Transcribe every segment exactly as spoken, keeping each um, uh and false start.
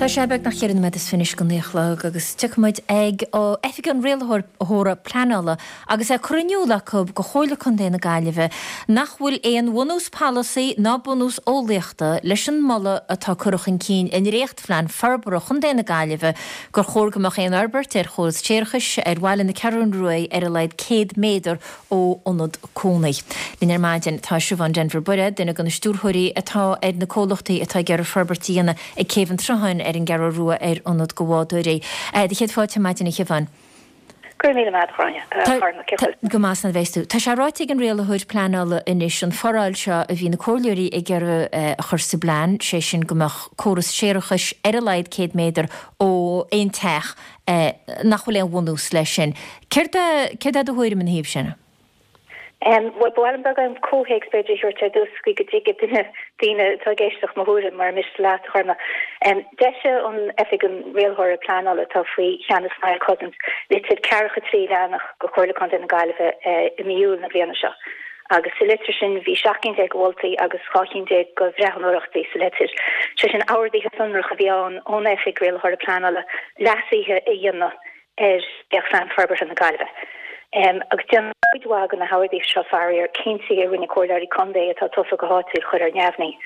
Tá sé beagnach ceithre nóiméad is fiche go naoi a chlog agus tiocfaimid ag Oifig an Rialaitheora Pleanála agus é curtha in iúl acu go Chomhairle Contae na Gaillimhe nach bhfuil aon bhunús polasaí ná bunús eolaíochta leis an moladh atá curtha chun cinn i ndréachtphlean forbartha Chontae na Gaillimhe gur chóir go mbeadh aon fhorbairt ar chóras séarachais ar bhaile na Ceathrún Rua ar a laghad céad méadar ó ionad cónaí. Linn ar maidin tá Siobhán Denvir Bairéad, duine de na stiúrthóirí atá ar na comhlachtaí atá ag iarraidh forbairt a dhéanamh ag Céibh an tSrutháin ar an gCeathrú Rua ar ionad do bhádóirí. Do chéad fáilte ar maidin a Shiobhán. Go raibh míle maith agat. Go maith san bheas tú. Tá sé ráite ag an rialaitheoir pleanála anois an foráil seo a bhí na comhairleoirí ag iarraidh a chur sa bplean, sé sin go mbeadh córas séarachais ar a laghad céad méadar ó aon teach nach bhfuil aon bhunús leis sin. Céard é céard é do thuairim ina thaobh sin? Um, well, ba mhaith liom beagán comhthéacs b'fhéidir a thabhairt ar dtús go go dtuigfidh duine daoine atá ag éisteacht mo thuairim mar miste leat a Ghorma. Um, D'eisigh an Oifig an Rialaitheora Pleanála atá faoi cheannas Niall Cousins litir ceathracha trí leathanach go Chomhairle Contae na Gaillimhe uh, i mí Iúil na bliana seo. Agus sa litir sin bhí seacht gcinn déag de mholtaí agus dhá cheann déag de bhreathnóireachtaí sa litir. Sé sin orduithe sonracha a bhí ann ón Oifig Rialaitheora Pleanála leasuithe a dhéanamh ar Phlean Forbartha na Gaillimhe. Um, agus déanann cuid mhaith de na horduithe seo faraor cinntí a rinne comhairleoirí contae atá tofa go háitiúil a chur ar neamhní.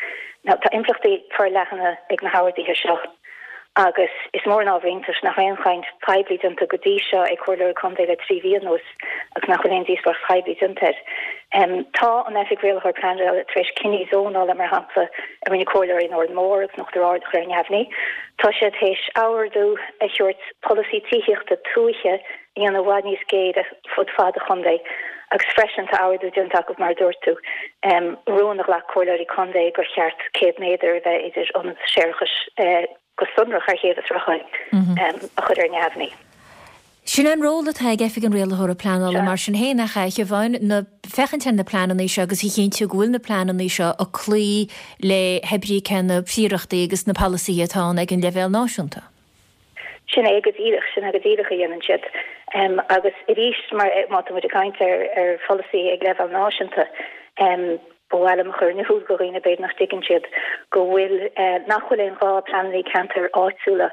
Now, tá impleachtaí forleathana ag na horduithe seo agus is mór an ábhar iontais nach raibh aon chaint poiblí déanta go dtí seo ag comhairleoirí contae le trí mhí anuas agus nach bhfuil aon díospóireacht phoiblí déanta air. Um, tá an Oifig Rialaitheoir Pleanála tar éis cinní zónála mar shampla a rinne comhairleoirí in Órán Mór agus in Uachtar Ard a chur ar neamhní. Tá sé tar éis ordú a thabhairt polasaí tithíochta tuaithe a dhéanamh i bhfad níos géire fud fad an chontae agus freisin tá ordú déanta acu mar dúirt tú um, rún a ghlac comhairleoirí contae gur cheart céad méadar a bheith idir ionad séarachais uh, go sonrach ar Chéibh an Srutháin um, a chur ar neamhní. Sin an ról atá ag Oifig an Rialaitheora Pleanála mar sin féin a Shiobhán ná féachaint ar na pleananna seo agus a chinntiú go bhfuil na pleananna seo ag cloí le hoibríocha na príorachtaí agus na polasaithe atá ag an leibhéal náisiúnta. Sin é go díreach sin go díreach a dhéanann siad. Um, agus arís mar má tá muid ag caint ar ar pholasaí ag leibhéal náisiúnta um, ba mhaith liom a chur in iúl do dhaoine b'fhéidir nach dtuigeann siad go bhfuil uh, nach bhfuil aon ghá pleananna ceantar áitiúla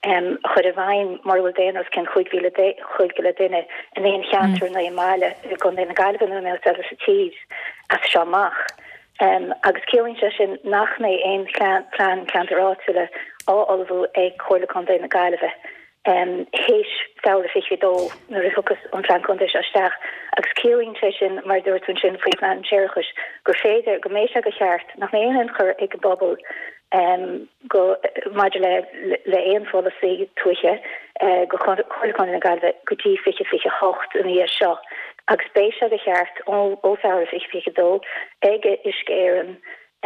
um, a chur i bhfeidhm mar bhfuil daonra os cionn cúig mhíle duine in aon cheantar mm. nó i mbaile i gContae na Gaillimhe nó eile sa tír as seo amach. Um, agus ciallaíonn sé sin nach mbeidh aon plean ceantar áitiúla á ullmhú ag Comhairle Contae na Gaillimhe. Um, Théis Feabhra fiche dó nuair a thiocfas an plean contae seo isteach agus ciallaíonn sé sin mar dúirt sin faoi plean séarachais gur féidir go mbeidh sé de cheart nach mbeidh aon tionchar ag an bpobal um, go maidir le le aon pholasaí tuaithe uh, go Comhairle Contae na Gaillimhe go dtí fiche fiche hocht an dhiaidh seo agus beidh sé de cheart ó ó Feabhra fiche fiche dó ag Uisce Éireann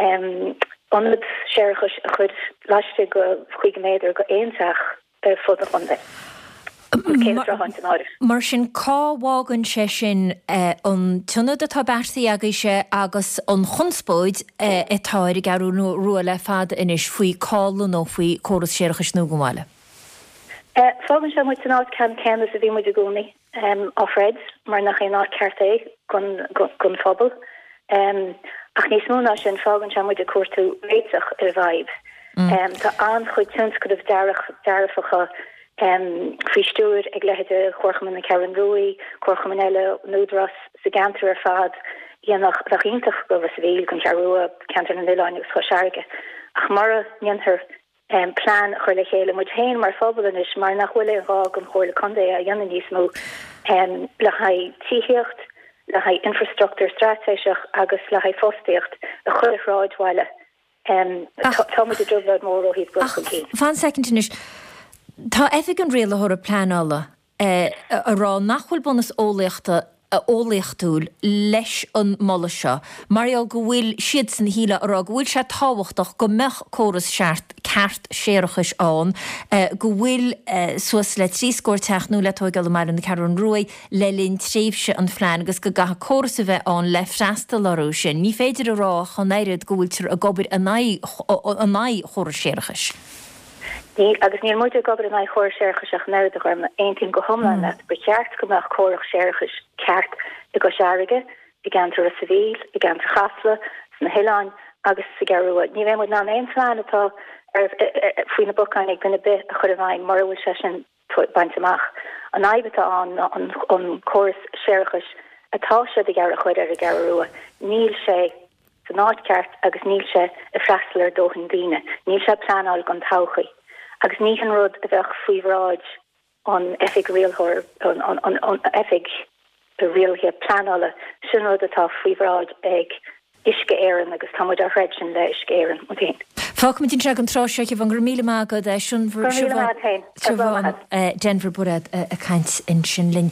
um, ionad séarachais a chur laistigh de chúig méadar go aon teach fud an chontae. Mar sin cá bhfágann sé sin an t-ionad atá beartaithe agaibhse agus an chonspóid atá ar an gCeathrú Rua le fada anois faoi cá lonnófaí córas séarachais nua don bhaile. Fágann sé muid san áit ceann céanna a bhí muid i gcónaí um, off-red mar nach é áit ceart é don phobal. Um, ach níos mó ná sin fágann sé muid ag cuartú réiteach ar an bhfadhb. Mm. Um, tá an-chuid tionscnamh dearfacha um, faoi stiúir ag leithéidí Chomharchumann na Ceathrún Rua, Comharchumann eile an Údarás sa gceantar ar fad dhéanach bheadh iontach go Ros an Mhíl don Cheathrú Rua ceantar na nOileán agus Chois Fharraige. Ach mura ndéantar um, plean chur le chéile muid féin mar phobal anois mar nach bhfuil aon ghá don Chomhairle Contae a dhéanamh níos mó um, le haghaidh tithíocht, le haghaidh infrastruchtúr straitéiseach agus le haghaidh fostaíocht a chur i sráidbhaile. Um, tá muid i dtrioblóid mór ó thaobh dul chun cinn. Fan soicind anois. Tá Oifig an Rialaitheora Pleanála ag rá nach bhfuil bunús eolaíochta eolaíochtúil leis an moladh seo, mar gheall go bhfuil siadsan shíle a rá go bhfuil sé tábhachtach go mbeadh córas seart ceart séarachais ann, go bhfuil suas le trí scór teach nua le tógáil i mbaile na Ceathrún Rua le linn tréimhse an phlean agus go gcaithfidh córas a bheith ann le freastal orthu sin. Ní féidir a rá ach an oiread go bhfuiltear ag obair in aghaidh chóras séarachais. Ní agus níl muid ag obair in aghaidh chóras séarachais ach an oiread a Ghorma aontaím go hiomlán leat ba cheart go mbeadh córas séarachais ceart i gCois Fharraige, i gceantar Ros an Mhíl, i gceantar Chasla, sna hoileáin agus sa Ghearrua. Ní bheidh muid in ann aon phlean atá Faoi na bacáin ag duine ar bith a chur i bhfeidhm mura bhfuil sé sin bainte amach. An fhadhb atá ann ná an córas séarachais atá siad ag iarraidh a chur ar an gCeathrú Rua, níl sé san áit ceart agus níl sé ag freastal ar dóthain daoine. Níl sé pleanáilte don todhchaí. Agus ní hin rud a bheadh faoi bhráid an Oifig Rialthóir an Oifig Rialaithe Pleanála, sin rud atá faoi bhráid ag Uisce Éireann agus tá muid á throid sin le Uisce Éireann ó shin. Fágfaimid anseo an tráth seo Siobhán, go raibh míle maith agat Siobhán Denvir Bairéad ag caint ansin linn.